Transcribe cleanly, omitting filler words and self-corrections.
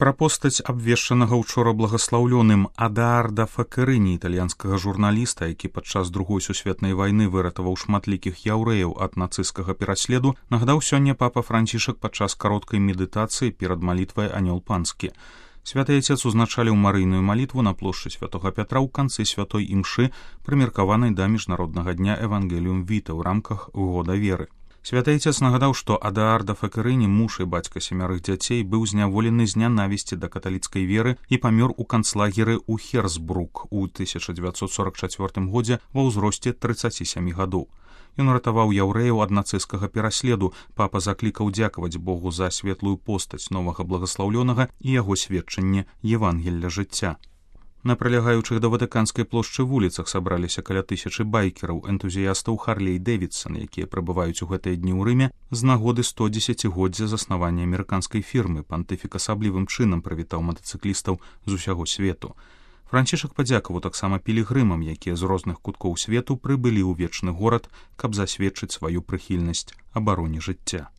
Пра постаць абвешчанага учора благаслаўлёным Адаарда Факерыні, італьянскага журналіста, які падчас Другой сусветнай вайны выратаваў шматлікіх яўрэяў ад нацысцкага пераследу, нагадаў сёння папа Францішак падчас кароткай медытацыі перад малітвай «Анёл панскі». Святы Отец узначаліў марыйную малітву на плошчы Святога Пятра ў канцы святой імшы, прымеркаванай да міжнароднага дня Евангеліум Віта ў рамках года веры. Святы Отец нагадаў, што Адаарда Факерыні, муж і бацька 7 дзяцей, быў зняволены з нянавісці да каталіцкай веры і памёр у канцлагеры ў Херсбрук у 1944 годзе ва ўзросце 37 гадоў. Ён ратаваў яўрэяў ад нацысцкага пераследу. Папа заклікаў дзякаваць Богу за светлую постаць новага благаслаўлёнага і яго сведчанне Евангелля жыцця. На прылягаючых да Ватыканскай плошчы вуліцах сабраліся каля 1000 байкераў, энтузіястаў Харлей-Дэвідсан, якія прыбываюць у гэтыя дні ў Рыме з нагоды 110-годдзя заснавання амерыканскай фірмы. Пантыфік асаблівым чынам прывітаў матацыклістаў з усяго свету. Францішак падзякаваў таксама пілігрымам, якія з розных куткоў свету прыбылі ў вечны горад, каб засведчыць сваю прыхільнасць абароне жыцця.